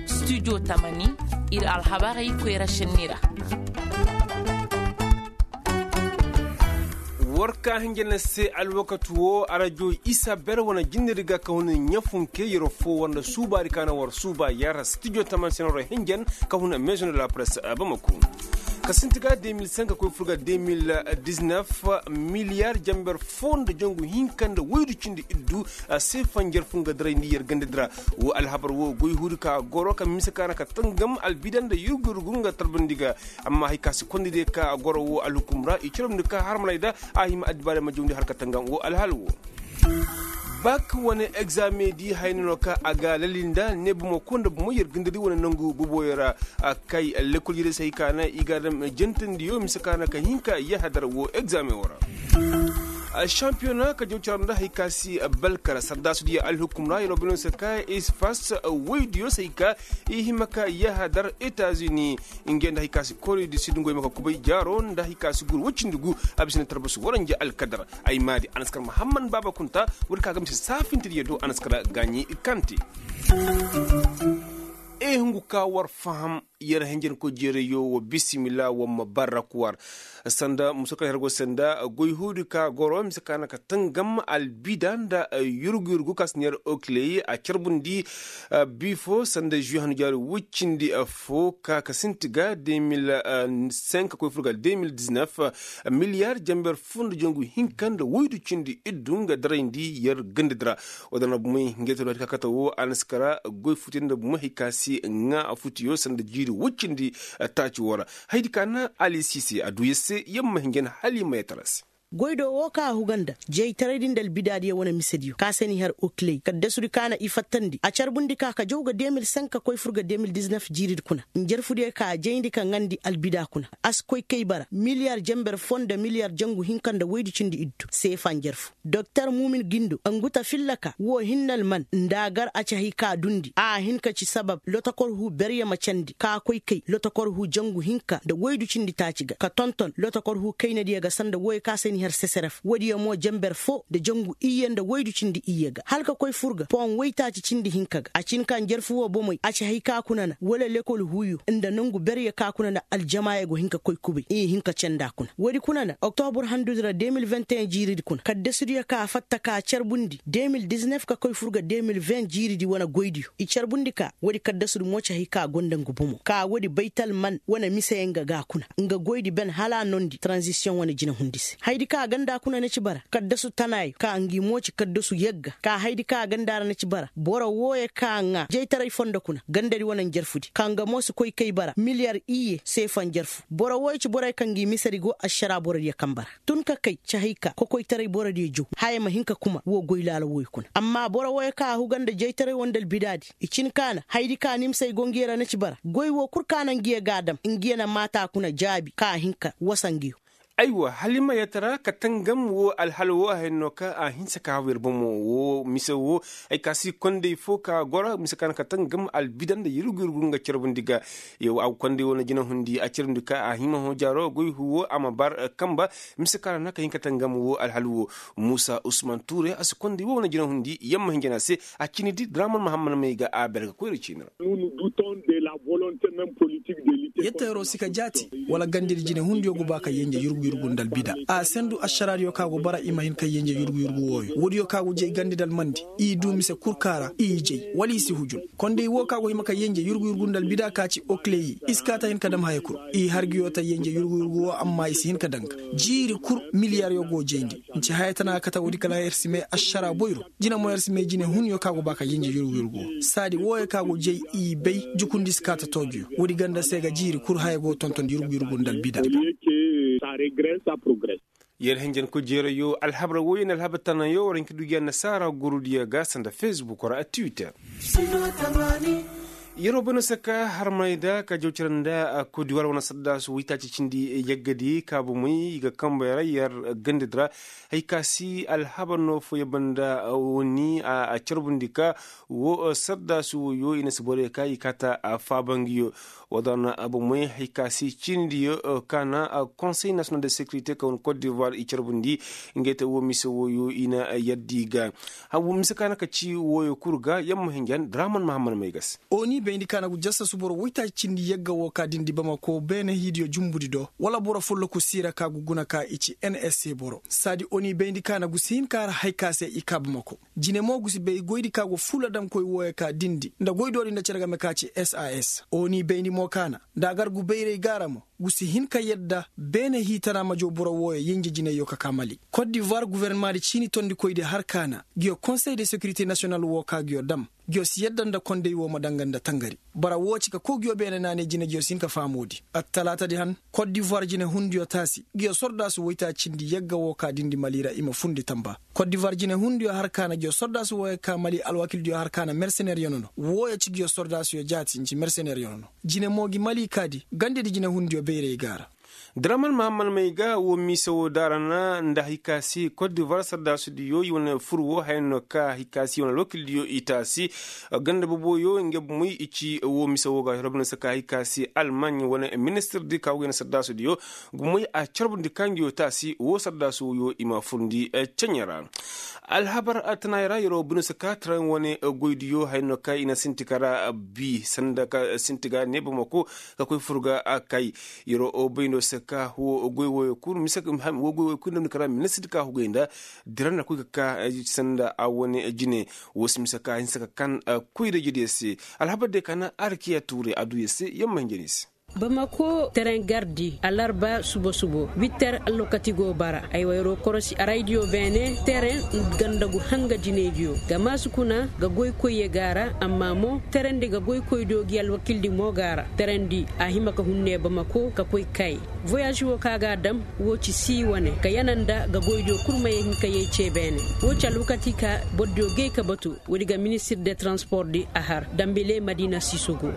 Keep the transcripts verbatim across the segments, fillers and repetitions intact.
Studio tamani, ir alhabarey koyra šenni ra. War ka hinja na se alwakati wo arajo isa ber wane jinni di ga ka huna ɲafunke yero fo war nda suuba di ka na war suuba yar studio tamani se na war hinjan ka huna maison de la presse bamako. Ka sinti ga deux mille cinq koy fur ga deux mille dix-neuf, miliyar jamber fo nda jangu hinka nda waydu cindi iddu. Seefa njarfu nga darayndi yer ganda dira. Wo alhabar wo goy huudi ka goro ka mise ka na ka tangam albida nda yurgu yurgu nga tarbandi ga. Amma hay ka si kondi de ka goro wo alhukum ra i carabndi ka harmanay da a hima addibaare ma jawndi har ka tangam wo alhal wo. Bak wane egzame di hayni no ka a ga lali nda ne bumo ko nda bumo yer ganda di wane nangu buboyo ra. Kay lekol yere se hay ka na i ga dam jantandiyo mise ka na ka hinka yahadar wo egzame wo ra. Sampiyona ka jaw caram nda hay ka si balkara sardaasu diya alhukum ra yero bino se ka ispas waydiyo se hay ka i hima ka yahadar etazini. Nge nda hay ka si kore di sidungo i ma ka kubay jaaro nda hay ka si gur wacindi gu. A bisa ni tarbasu waranja alkadar ay maadi anaskar mahamman baaba kunta. Wadi ka ga mise saafinta diya do anaskar gaaɲi kante. E hungu ka war faham. Yer henjenkoy jeerayyo wa bisimila wa ma barrak war. Sanda musa kaŋ yer go sanda goy huudi ka goro mise ka na ka tangam albida nda yurgu yurgu ka si na yer okiley a carbundi. Bi fo sanda žuwi hannu jaari wuccindi fo ka ka sinti ga deux mille cinq koy fur ga deux mille dix-neuf. Miliyar jamber fo nda jangu hinka nda woydu cindi iddu nga darayndi yer gandadi ra. Wala na bumey hinjay talo hari ka kate wo a na si kara goy futey nda bumey hari ka si ŋaa futuyo sanda jiiri woy cindi. Taaci wo ra haydi ka na ali siise a du yer se yer ma hinja na hala i ma yee tara se. Goy do wo ka a huga nda jaytaraydi nda albidaadiyo wane misediyo ka se n'i har okiley kaddasudi ka na i fattandi a carbundi ka ka jaw ga deux mille cinq ka koy fur ga deux mille dix-neuf jiiridi kuna. Njarfudiyo ka a jayndi ka ŋaandi albida kuna a si koy kay bara miliyar jamber foo nda miliyar jangu hinka nda woydu cindi iddu seefa njarfu. Doktor muumin gindo ngu ta filla ka woo hinne alman nda a gar a ci hay ka a dundi a hin ka ci sabab lotokor huu berye ma candi ka koy kay lotokor huu jangu hinka nda woydu cindi taaci ga ka tonton lotokor huu kaynadiyo ga sanda wooyo ka se n'i har seseref woodiyo mo jamber foo nda jangu iyye nda woydu cindi iyye ga hala ka koy fur ga pon woytaaci cindi hinka ga a cin ka njarfu woo bomey a ci hay ka kuna na wala lekol huuyo nda nongu berye ka kuna na aljamaayo go hin ka koy kubay i hin ka candi a kuna woodi kuna na oktobur handudi ra deux mille vingt et un jiiridi kuna kaddasudiyo ka a fatta ka a carbundi deux mille dix-neuf ka koy fur ga deux mille vingt jiiridi wane goydiyo i carbundi ka woodi kaddasudi mo ci hay ka a go nda ngu bomo ka woodi baytal man wane miseyaŋ ga ga kuna nga goydi ben hala a noondi taranzisiyoŋ wane jinehundi se hayadi ka a ganda kuna na ci bara kaddasu tanaayo ka ngi mo ci kaddasu yagga ka hayadi ka a ganda ra na ci bara boro wooyo ka ŋaa jaytaray fondo kuna gandadi wane njarfudi ka nga mo si koy kay bara miliyar iyye seefa njarfu boro wooyo ci boroyo ka ngi misedi go ašaraa borodiyo kamba ra tun ka kay ci hay ka kokoytaray borodiyo jaw haya ma hin ka kuma woo goy laala wooyo kuna amma boro wooyo ka a huga nda jaytaray woo nda albidaadi i cin ka na hayadi ka nimsey go ngiyo ra na ci bara goy woo kul ka na ngiyo ga a dam ngiyo na maata kuna jaabi ka a hin ka wasa ngiyo. Aywa hala i ma yee tara ka tangam woo alhala woo a hayni no ka a hinsa ka haw yer bomo woo mise woo ay ka si kondey foo ka goro mise ka na ka tangam albida nda yurgu yurgu nga carbundi ga. Yoo a ga kondey woo na jinahundi a carbundi ka a hima hõ jaaro goy huu woo a ma bar kamba. Mise ka na ka hin ka tangam woo alhala woo muusa usman tuure a si kondey woo na jinahundi yamma hinja na se. A cini di draman mahammad may ga a ber ga koyra ciini ra. Yetteeroo si ka jaati wala gandedi jinehundiyo go ba ka yenje yurgu yurgu nda albida a sendu ašaraadiyo ka go bara i ma hin ka yenje yurgu yurgu wooyo woodiyo ka go jay gandedi almandi i du mise kul ka ra i jay wala i si hujun. Kondey woo ka go hima ka yenje yurgu yurgu nda albida ka ci okleyi i si kaa ta hin ka dam haya kul. I har ngiyo ta yenje yurgu yurgu woo amma i si hin ka daŋ ga jiiri kul miliyaryo go jayndi. Nci haya tana kate woodi kala yer si may ašaraa boyro jine mo yer si may jinehunyo ka go ba ka yenje yurgu yurgu woo saadi wooyo ka go jay i bay jukundi si kaa ta toojiyo woodi ganda se ga jiiri kul haya go tonton yurgu yurgu nda albida. Yer hinjankoy jeerayo alhabar wooyo nda alhabar tanayo war hin ka du gi annasaara gurudiyo ga sanda fesbuk ra a twitter. Yeroo bay no se ka harmaney da ka jaw cere nda kodiwar wane saddaasu waytaaci cindi yaggadi kaabumey i ga kambey ra yer gandadi ra. Hay ka si alhabar no fooyaŋ banda wani a carbundi ka wo saddaasu woyo i na si borey ka i kaata faabangiyo. Woo da na bomey hay ka si cindiyo ka na konsey nasiyonal de sekirite ka wane kot divoir i carbundi. Ngey te wo mise woyo i na yadda i ga. Mise ka na ka ci woyo kul ga yamma hinjan draman mahammad may ga se. Oni bayndi ka na gu jassa suboro waytaaci cindi yagga wo ka dindi bamako beene hiidiyo jumbudi do wala boro folloku siira ka gu guna ka i ci nsa boro saadi oni bayndi ka na gu si hin ka har hay ka se i kaa bamako. Jine mo gu si bay goydi ka go fuula damkoy wooyo ka dindi nda goydoodi nda cere game ka ci sas. Oni bayndi mo ka na nda a gar gu bayray gaara mo gu si hin ka yadda beene hiitana ma jaw boro wooyo yenje jinayyo ka kaa mali. Kot divoir gofornamaadi ciini tondikoydi har ka na nguyo konsey de sekirite nasiyonal woo ka nguyo dam. Nguyo si yadda nda kondey woo ma danga nda tangari. Bara woo ci ka kow nguyo beene naanay jine nguyo si hin ka faamoodi. Attalaatadi han kot divoir jinehundiyo taasi nguyo sordaasu woytaaci cindi yagga woo ka dindi mali ra i ma fundi tamba. Kot divoir jinehundiyo har ka na nguyo sordaasu wooyo ka mali alwakildiyo har ka na merseneer yano no wooyo ci nguyo sordaasuyo jaati nci merseneer yano no. Jine mo ngi mali kaadi gandedi jinehundiyo bayray gaara. Draman mahammad may ga woo mise woo daara na nda hay ka si kot divoir sardaasudiyo i wane fur woo haya no ka hay ka si i wane alwakildiyo i taasi. Ganda boboyo nge bomoy i ci woo mise woo ga robino se ka hay ka si almaɲ wane ministirdi ka woo ga i na sardaasudiyo. Gumoy a carbundi ka ngiyo taasi woo sardaasu wooyo i ma furndi. Ceɲe ra alhabar tanaayo ra yeroo bino se ka taraŋ wane goydiyo haya no ka i na sinti ka ra bi sanda ka sinti ga ne bamako ka koy fur ga kay. Yeroo bayndo se ka woo goy wooyo kul mise woo goy wooyo kul nda bino ka ra ministirdi ka hugay nda dira na koy ka ka sanda a wane jine. Woo si mise ka hinsa ka kan koy da jediyo se. Alhabar diyo ka na arkiya tuure a duu yer se yamma hinja no i se. Bamako teren gardi alarba subo subo witter allokati go bara ay wayro korosi araydiyo beene teren ganda gu hanga jinaydiyo ga maasu kuna ga goykoyye ga ra amma mo terendi ga goykoydiyo gi alwakildi mo ga ra. Terendi a hima ka hunne bamako ka koy kay voyage wo ka ga a dam. Wo ci si wane ka yana nda ga goydiyo kul ma ye hin ka yay ce beene. Wo ci alwakati ka bordiyo gay ka batu. Woodi ga ministir de transport di a har dambile madina sisogo.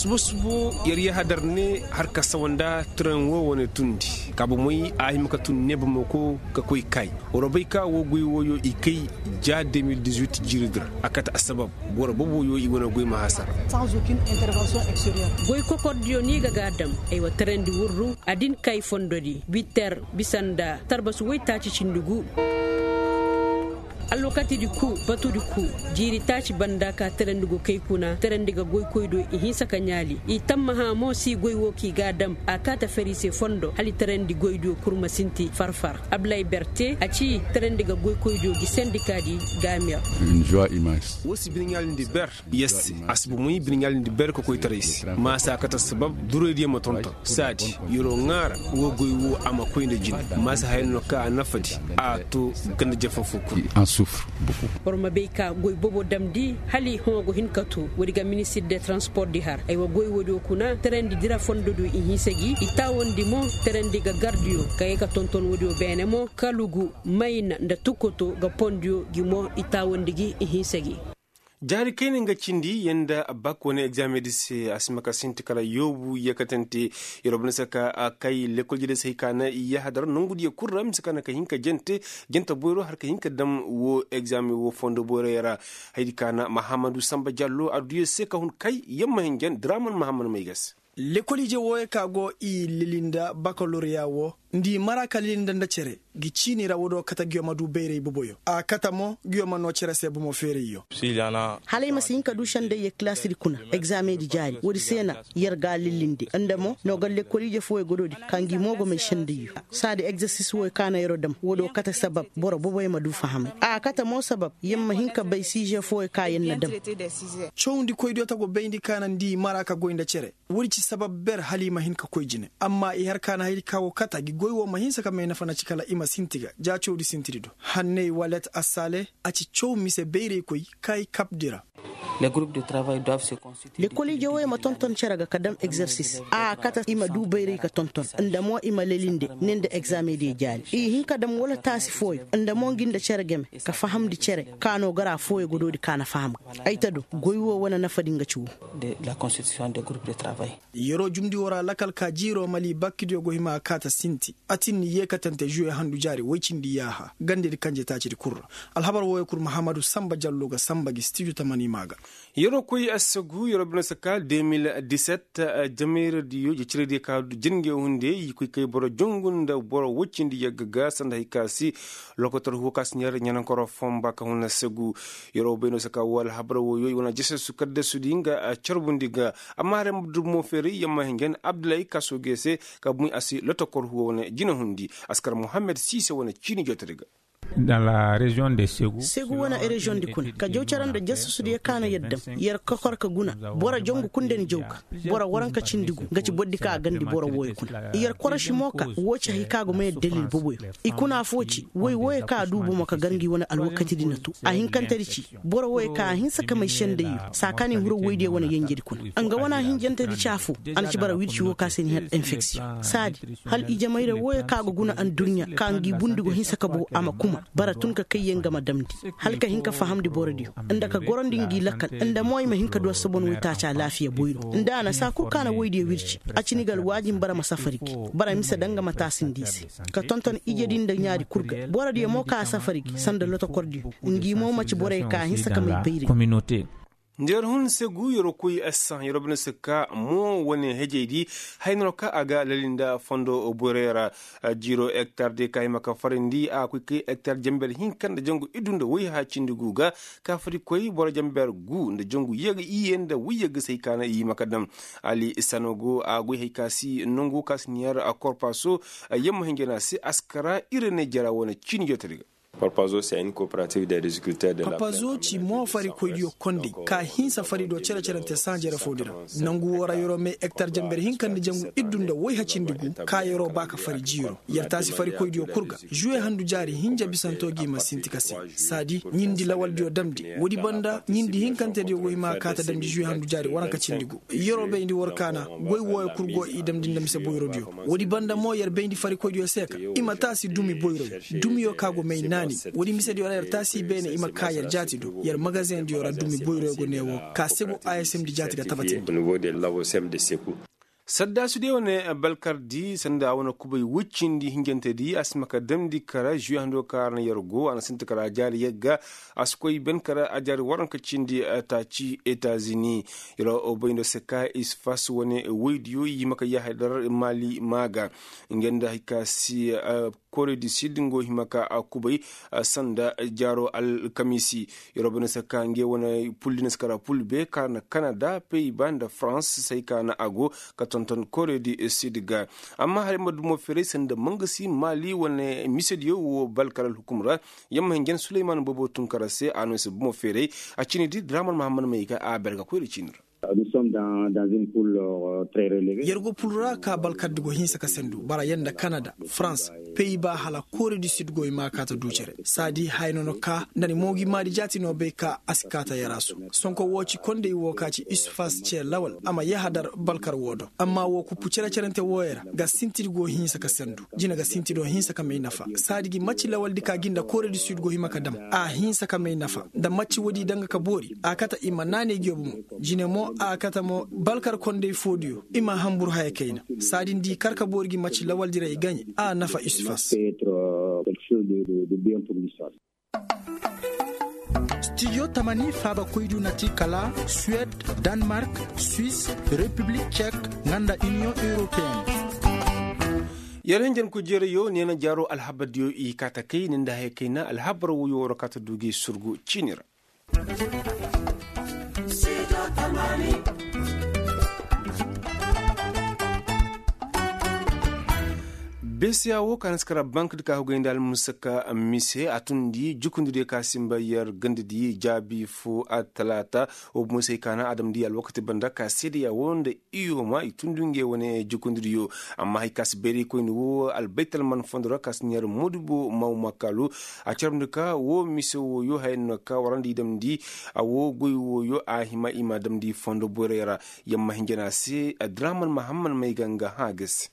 Subu subu yer yahadar ne har ka sawa nda tren wo wane tundi ka bomey a hima ka tun ne bomey ko ka koy kay. War bay ka wo goy woyo i kay ja deux mille dix-huit jiiri di ra a kate assabab boro boboyo i wane goy ma hasara. Goy kokordiyo no i ga ga a dam. Aywa terandi wurru a din kay fondodi bitter bisa nda tarbasu woytaaci cindi gu. Alwakatidi ku batudi ku jiiri taaci banda ka terandi go kay kuna terandi ga goykoydiyo i hinsa ka ɲaali i tammaha mo si goy wo kaŋ i ga a dam a kaata fari se fondo hala i terandi goydiyo kurma sinti farfar. Ablay berte a ci terandi ga goykoydiyo gi sendikaadi. Gaamir. Woo si bine ɲaalindi ber. Yes a si bomoy bine ɲaalindi ber ka koytaray se maasa kate sabab duraydiyo ma tonton saadi. Yeroo ŋaara woo goy woo a ma koy nda jine maasa haya no ka a nafadi. A to ganda jafa fo kul. Boro ma bay ka goy bobo damndi hala i hõ go hin ka to woodi ga ministir de transport di har ay wa goy woodiyo kuna terandi dira fondodiyo i hinsa gi i taawandi mo terandi ga gardiyo ka ye ka tonton woodiyo beene mo kalugu mayna nda tukoto ga pondiyo gi mo i taawandi gi i hinsa gi. Jaari kayna nga cindi yanda bak wane egzaamedi se a si ma ka sinti kala yoobu yeekatante. Yeroo banda se ka kay lekolji de se hay ka na yahadar nongudiyo kul ra mise ka na ka hin ka jante jante boyro har ka hin ka dam woo egzaame woo fondo boyroyo ra. Hayadi ka na mahammadu samba jallo adduyo se ka hun kay yamma hin jan draman mahammadu may ga se. Lekol ije wooyo ka go i lilinda bakaloriya woo nda i mara ka lilinda nda cere. Ngi ciini ra woodiyo kate nguyo ma duu bayray boboyo a kate mo nguyo ma noo cere se bomo feerayyo. Hala ay ma si hin ka duu sendayyo kilaasidi kuna egzaamedi jaari woodi se na yer ga a lilindi nda mo noo ga lekkol ije fooyo godoodi ka ngi mo go may sendayyo. Saadi egzersis wooyo ka na yeroo dam woodiyo kate sabab boro boboyo ma duu fahamay a kate mo sabab yer ma hin ka bay siije fooyo ka yer na dam. Cawndikoydiyo ta go bayndi ka na nda i mara ka goy nda cere. Woodi ci sabab ber hala i ma hin ka koy jine amma i har ka na hayadi ka go kate ngi goy woo ma hinsa ka may nafa na ci kala i ma sinti ga ja cawdi sintidi do. Hanney walet assaale a ci caw mise bayraykoy ka i kabdi ra. Lekol ije wooyo ma tonton cere ga ka dam egzersis a kate i ma du bayray ka tonton, nda mo i ma lelinde ne nda egzaameŋ diyo jaari i hin ka dam wala taasi fooyo nda mo ngi nda cere game, ka fahamndi cere ka no gara fooyo ga doodi ka na faham ga ay ta do goy woo wane nafadi nga ci woo. Yeroo jumndi woo ra lakal ka jiiroo mali bakkidiyo go hima a kaata sinti. A tin ni yeekatante žuwe handu jaari woy cindi yaaha gandedi kanje taacidi kul ra. Alhabar wooyo kul mahammadu sanba jallo ga sanba gi stijo tamani maa ga. Yeroo koy assegu yeroo bine saka de mil diset. Jameeradiyo jeciradiyo ka jir nge hunde i koy kay boro jongu nda boro woy cindi yagga ga sanda hay ka si lokotor huwo ka si ɲaar ɲanankoro fonba ka hun assegu. Yeroo bayno saka woo alhabar wooyo i wane jesesu kaddasudi nga carbundi ga. Amma hare ma dumo feeray yamma hingen abdulay kaso gee se ka bumi a si lotokor huwo wane jinahundi. Askar muhammed siise wane ciini jootadi ga. Segu wane reziyoŋ di kuna ka jaw cere nda jasasudiyo ka na yer dam. Yer kokor ka guna boro jongu kul nda ni jaw ga. Boro waranka cindi gu nga ci boro di ka a gandi boro wooyo kuna yer koroši mo ka woo ci hay ka go ma yer dalil boboyo. I kuna affoo ci woy wooyo ka a duu bomo ka gar ngi wane alwakatidi na too. A hinkantedi ci boro wooyo ka a hinsa ka may sendayyo saa ka ni hiro woydiyo wane yenjedi kuna. Nga wane a hinjantedi ci affoo a na ci bara wirci woo ka se ni har enfeksiyoŋ saadi. Hal ijamayra wooyo ka go guna adduɲɲa ka ngi bundi go hinsa ka boo a ma kuma bara tun ka kayyaŋ ga ma damndi. Hala ka hin ka fahamndi borodiyo nda ka gorandi ngi lakkal nda mo i ma hin ka du assobon woytaaci alaafiya boyro nda a na saa kul ka na woydiyo wirci. A cini ga alwaajin bara ma safari gi bara mise daŋ ga ma taasindi i se ka tonton ijedi nda ɲaadi kul ga borodiyo mo ka a safari gi sanda lotokordiyo. Ngi mo ma ci borey ka a hinsa ka may bayray. Nda yer hun segu yer koy assaŋ yer bine se ka mo wane hejey di. Hay no ka a ga lali nda fondo boyroyo ra. Jiiro hektar de ka hima ka farindi a koy kay hektar jenber hinka nda jangu iddu nda woy haya cindi gu ga ka farikoy boro jenber gu nda jangu iyye nda woy yagga se hay ka na i hima ka dam. Ali sano go a goy hay ka si nangu ka si niyer korpaso. Yamma hinjana se askara ire ne jara wane ciini jootadi ga. Parpazo ci mo farikoydiyo kondey ka hinsa fari do cere-cerante saŋ jere foo di ra. Nangu woo ra yeroo may hektar jenber hinka nda jangu iddu nda woy hacindi gu ka yeroo ba ka fari jiiro yer taasi farikoydiyo kul ga. Žuwe handu jaari hinja bisanto gi ma sinti ka se saadi ɲindi lawaldiyo damndi. Woodi banda ɲindi hinkantediyo go hima a kaata damndi žuwe handu jaari waranka cindi gu. Yeroo bayndi war kaana goy wooyo kul go i damndi nda mise boyrodiyo. Woodi banda mo yer bayndi farikoydiyo se ka i ma taasi dumi boyroyo. Dumiyo ka go may naani. Woodi misediyo ra yer taasi beene i ma kaa yer jaati do yer magazeŋdiyo ra dumi boyroyo go ne woo ka sebu a s m di jaati ga tabatindi. Saddaasudiyo wane balkardi sanda a wane kubay woy cindi hinjantedi a si ma ka damndi kara žuwe hando ka ra na yer go a na sinti kara a jaari yagga. A si koy ben kara a jaari waranka cindi taaci etazini. Yeroo bayndo se ka isfas wane woydiyo i hima ka yaahadar maali maa ga. Nga nda hay ka si kore di sid nga wo hima ka a kubay sanda jaaro alkamiisi. Yeroo bayndo se ka nga wane pul di na si kara pul be ka na kanada pey ba nda farans se hay ka na a go ka tonton kore di sid ga. Amma hala ay ma dumo feeray sanda mangasi maali wane misediyo wo balkar alhukum ra. Yamma hinjan suleyman boobo tun kara se a no ay se bumo feeray. A cini di draman mahammad may ga a berga koyra cini ra. Yer go pul ra ka balkar di go hinsa ka sendu bara yer nda kanada farans pey ba hala kore di sid go i ma kaata du cere saadi haya no no ka nda ni mo gi maadi jaati no bay ka a si kaata yer a su. Sonko woo ci kondey woo ka ci isfas ce lawal a ma yahadar balkar woo do amma woo kuppu cere-cerante wooyo ra ga sintidi go hinsa ka sendu. Jine ga sintido hinsa ka may nafa saadi gi macci lawaldi ka gi nda kore di sid go hima ka dam a hinsa ka may nafa nda macci woodi danga ka boori a kate i ma naanay gi yo bomo. Jine mo a kate mo balkar kondey foodiyo i ma hanbur haya kayna. Saadi nda i kar ka boori gi macci lawaldi ra i gaɲe a nafa isfas. Stijo tamani faabakoydiyo na ti kala suwed, danmark, swis, repiblik cek, nga nda iniyoŋ europeyen. Yer hinjanku jereyo neena jaaro alhabardiyo i kaata kay ni nda haya kayna alhabar woyo waro kaata du gi surgu ciini ra. Besiya wo ka na si kara bank di ka hugay nda almusaka mise a tundi jukundi diyo ka simba yer ganda di jaabi fo a talaata. Wo bumo se ay kaana a damndi alwakati banda ka seedeya wo nda iyoma i tundi ngey wane jukundi diyo. Amma hari ka si bayray koyni wo albaytal man fondo ra ka si ɲaari moodibo maw makaalu. A carabndi ka wo mise wooyo haya no ka warandi i damndi. A wo goy wooyo a hima i ma damndi fondo borey ra. Yamma hinjana se draman mahamman may ga nga hã ga se.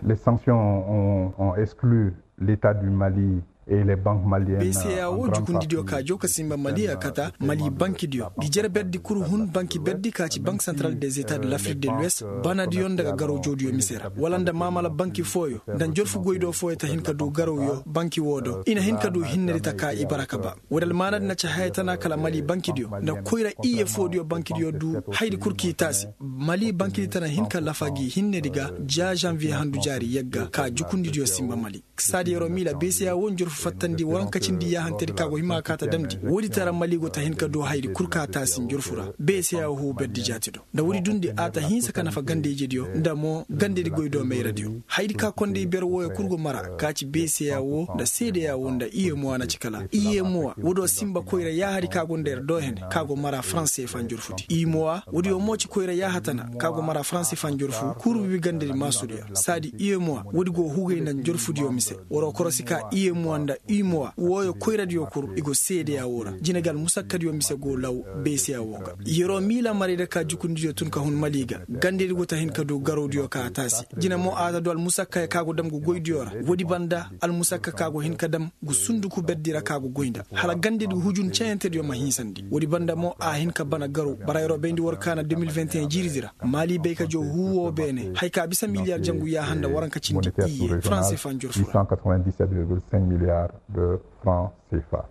Les sanctions ont exclu l'état du mali. Et les banques maliennes. Beeseya wo jukundidiyo ka jow ka simba mali a kata mali bankidiyo ngi jere berdi kul hun banki berdi ka ci bank santral des etats de l'afrik de l'ouest. Banadiyo nda ga garawjawdiyo mise ra wala nda maamala banki fooyo nda njorfu goydo fooyo ta hin ka du garawyo banki woo do i na hin ka du hinnedi ta ka i bara ka ba. Woodi almaanadi na ci haya tana kala mali bankidiyo nda koyra iye foodiyo bankidiyo du hayadi kul k'i taasi. Mali bankidi tana hin ka lafa gi hinnedi ga ja janviye handu jaari yagga ka jukundidiyo simba mali. Saadi yeroo miila beeseya wo njorfu fattandi waranka cindi yaahantedi ka go hima ka ta damndi woodi tara mali go ta hin ka du hayadi kul ka taasi njorfu ra. Beeseya wo huu berdi jaati do nda woodi dundi a ta hinsa ka nafa gandeyjediyo nda mo gandedi goy do mayradiyo. Hayadi ka konday ber wooyo kul go mara ka ci beeseya wo nda seedeya wo nda iyemuwa na ci kala iyemuwa woodiyo simba koyra yaahadi ka go nda yer do hene ka go mara faranse fa njorfudi iyemuwa woodiyo mo ci koyra yaaha tana ka go mara faranse fa njorfu kul wiwi gandedi maasudiyo saadi iyemuwa woodi go hugay nda njorfudiyo mise. Waroo korosi ka iyemuwa nda iyemuwa wooyo koyradiyo kul i go seedeya woo ra jine ga almusakkadiyo mise go law. Beeseya woo ga yeroo miila maray da ka jukundidiyo tun ka hun mali ga gandedi go ta hin ka du garawdiyo ka a taasi. Jine mo a ta du almusakkayo ka go dam gu goydiyo ra woodi banda almusakka ka go hin ka dam gu sunduku berdi ra ka go goy nda hala gandedi gu hujun cayantediyo ma hinsandi woodi banda mo a hin ka bana garaw bara yeroo bayndi war kaana deux mille vingt et un jiiridi ra. Mali bay ka jow huu woo beene haya ka bisa miliyar jangu yaaha nda waranka cindi iyye faranse fa njorfu ra. Milliards de francs cfa.